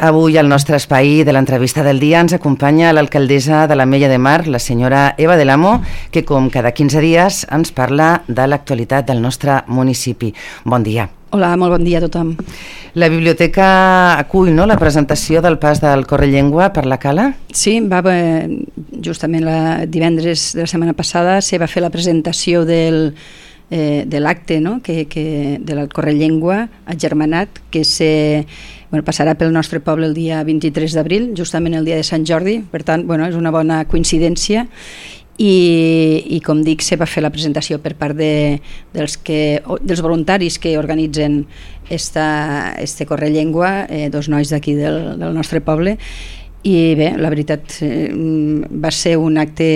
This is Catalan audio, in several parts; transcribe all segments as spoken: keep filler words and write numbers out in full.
Avui al nostre espai de l'entrevista del dia ens acompanya l'alcaldessa de l'Ametlla de Mar, la senyora Eva del Amo, que com cada quinze dies ens parla de l'actualitat del nostre municipi. Bon dia. Hola, molt bon dia a tothom. La biblioteca acull, no?, la presentació del pas del Correllengua per la Cala? Sí, va, justament la divendres de la setmana passada se va fer la presentació del, eh, de l'acte, no?, que, que, del Correllengua agermanat, que se, bueno, passarà pel nostre poble el dia vint-i-tres d'abril, justament el dia de Sant Jordi. Per tant, bueno, és una bona coincidència. I, i com dic, se va fer la presentació per part de, dels, que, dels voluntaris que organitzen esta, este Correllengua, eh, dos nois d'aquí del, del nostre poble. I bé, la veritat, eh, va ser un acte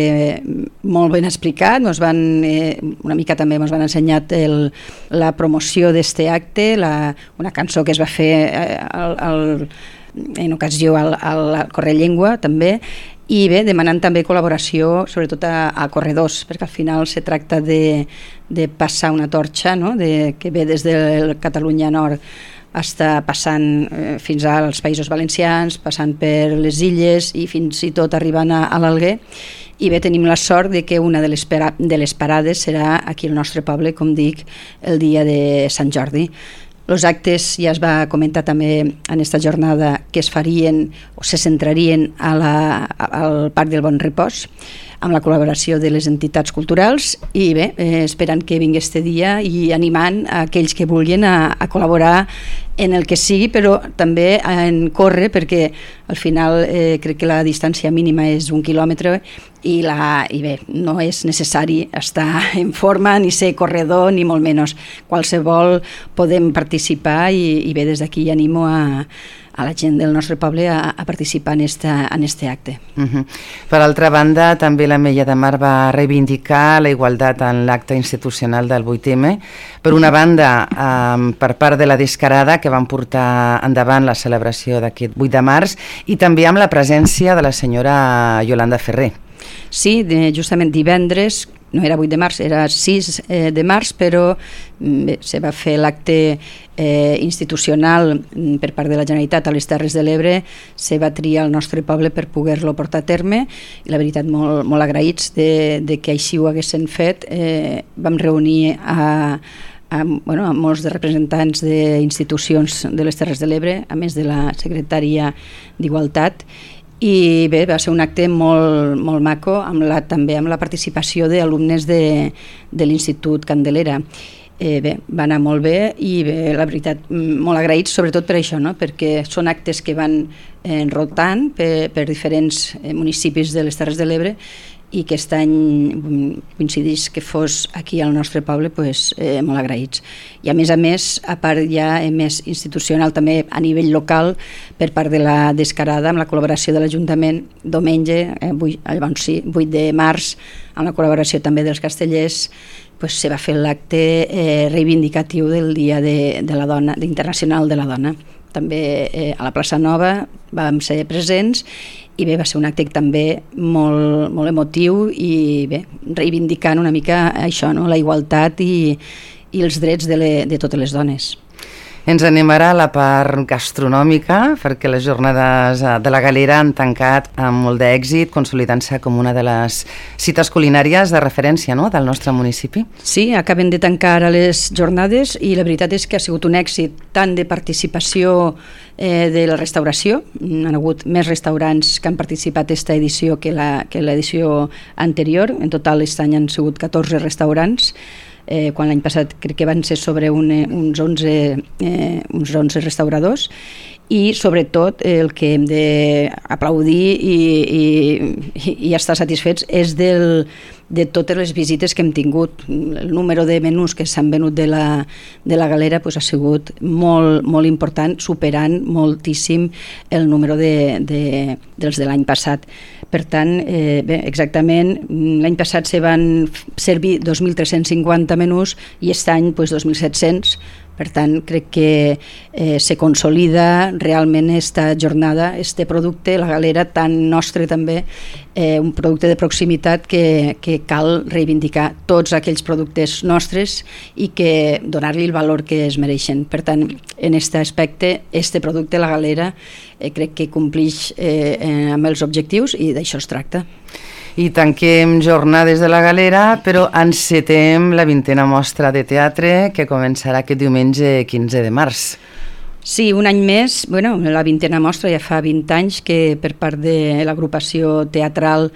molt ben explicat. Ens van, eh, una mica també ens van ensenyar el, la promoció d'este acte, la, una cançó que es va fer eh, al, al, en ocasió al, al Correllengua també. I bé, demanant també col·laboració sobretot a, a corredors, perquè al final se tracta de, de passar una torxa, no?, de, que ve des de Catalunya Nord està passant eh, fins als Països Valencians, passant per les illes i fins i tot arribant a, a l'Alguer. I bé, tenim la sort de que una de les, de les parades serà aquí al nostre poble, com dic, el dia de Sant Jordi. Els actes, ja es va comentar també en aquesta jornada, que es farien o se centrarien a la, al Parc del Bon Repòs, amb la col·laboració de les entitats culturals. I bé, eh, esperant que vingui este dia i animant a aquells que vulguin a, a col·laborar en el que sigui, però també en córrer, perquè al final eh, crec que la distància mínima és un quilòmetre i, la, i bé, no és necessari estar en forma ni ser corredor ni molt menys. Qualsevol podem participar i, i bé, des d'aquí animo a a la gent del nostre poble a, a participar en este, en este acte. Uh-huh. Per altra banda, també l'Ametlla de Mar va reivindicar la igualtat en l'acte institucional del vuit eme. Per una banda, um, per part de la Descarada, que van portar endavant la celebració d'aquest vuit de març, i també amb la presència de la senyora Yolanda Ferrer. Sí, de, justament divendres, no era vuit de març, era sis eh, de març, però bé, se va fer l'acte eh, institucional per part de la Generalitat a les Terres de l'Ebre. Se va triar el nostre poble per poder-lo portar a terme i la veritat molt, molt agraïts de, de que així ho haguessin fet. Eh, vam reunir a amb, bueno, amb molts de representants d'institucions de les Terres de l'Ebre, a més de la secretària d'Igualtat. I bé, va ser un acte molt, molt maco, amb la, també amb la participació d'alumnes de, de l'Institut Candelera. Eh, bé, va anar molt bé i bé, la veritat, molt agraïts sobretot per això, no?, perquè són actes que van eh, rotant per, per diferents eh, municipis de les Terres de l'Ebre i que aquest any coincidís que fos aquí al nostre poble, pues, eh, molt agraïts. I a més a més, a part ja més institucional, també a nivell local, per part de la Descarada, amb la col·laboració de l'Ajuntament, diumenge, eh, llavors sí, vuit de març, amb la col·laboració també dels castellers, pues, se va fer l'acte eh, reivindicatiu del Dia de, de la Dona, internacional de la Dona. També eh, a la plaça Nova vam ser presents i bé, va ser un acte també molt, molt emotiu i bé, reivindicant una mica això, no?, la igualtat i, i els drets de, le, de totes les dones. Ens anem ara a la part gastronòmica, perquè les jornades de la Galera han tancat amb molt d'èxit, consolidant-se com una de les cites culinàries de referència, no?, del nostre municipi. Sí, acaben de tancar ara les jornades i la veritat és que ha sigut un èxit tant de participació eh, de la restauració. Han hagut més restaurants que han participat aquesta edició que la, que l'edició anterior. En total, aquest any han sigut catorze restaurants. Eh, quan l'any passat crec que van ser sobre un, uns, onze, eh, uns onze restauradors i sobretot el que hem d'aplaudir i, i, i estar satisfets és del, de totes les visites que hem tingut. El número de menús que s'han venut de la, de la Galera pues, ha sigut molt, molt important, superant moltíssim el número de, de, dels de l'any passat. Per tant, eh, bé, exactament, l'any passat se van servir dos mil tres-cents cinquanta menús i aquest any pues, dos mil set-cents. Per tant, crec que eh, se consolida realment esta jornada, este producte, la galera tan nostre també, eh, un producte de proximitat que, que cal reivindicar tots aquells productes nostres i que donar-li el valor que es mereixen. Per tant, en aquest aspecte, este producte, la galera, eh, crec que complix eh, amb els objectius i d'això es tracta. I tanquem jornades de la Galera, però encetem la vintena mostra de teatre que començarà aquest diumenge quinze de març. Sí, un any més, bueno, la vintena mostra ja fa vint anys que per part de l'agrupació teatral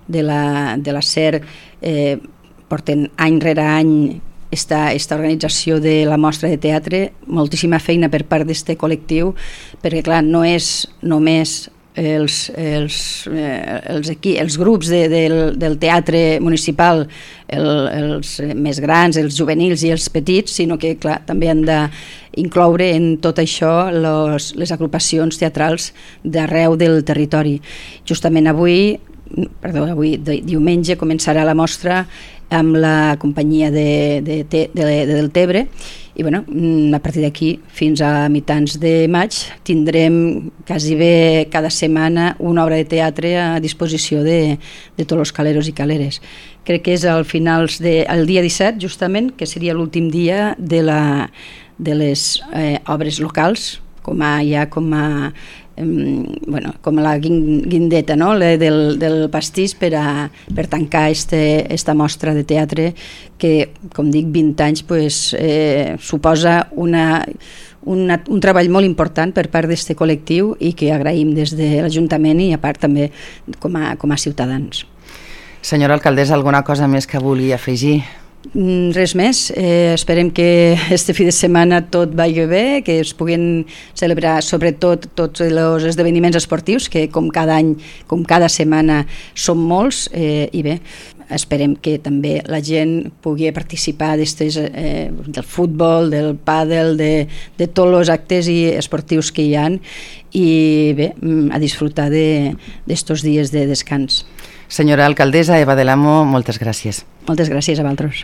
de la, de la SER eh, porten any rere any esta, esta organització de la mostra de teatre, moltíssima feina per part d'este col·lectiu, perquè clar, no és només els, els, eh, els, aquí, els grups de, del, del teatre municipal, el, els més grans, els juvenils i els petits, sinó que clar, també han d'incloure en tot això los, les agrupacions teatrals d'arreu del territori. Justament avui, perdó, avui diumenge començarà la mostra amb la companyia de, de, de, de, de Deltebre i bueno, a partir d'aquí fins a mitjans de maig tindrem quasi bé cada setmana una obra de teatre a disposició de, de tots els caleros i caleres. Crec que és al finals de, el dia disset justament, que seria l'últim dia de, la, de les eh, obres locals, com a, ja com a bueno, com la guindeta, no? del, del pastís per, a, per tancar este, esta mostra de teatre que, com dic, vint anys pues, eh, suposa una, una, un treball molt important per part d'aquest col·lectiu i que agraïm des de l'Ajuntament i a part també com a, com a ciutadans. Senyora alcaldessa, alguna cosa més que vulgui afegir? Res més, eh, esperem que este fi de setmana tot vagi bé, que es puguin celebrar sobretot tots els esdeveniments esportius, que com cada any, com cada setmana són molts, eh, i bé, esperem que també la gent pugui participar d'estes, eh, del futbol, del pàdel, de, de tots els actes i esportius que hi ha i bé, a disfrutar d'estos dies de descans. Senyora alcaldessa Eva del Amo, moltes gràcies. Moltes gràcies a vosaltres.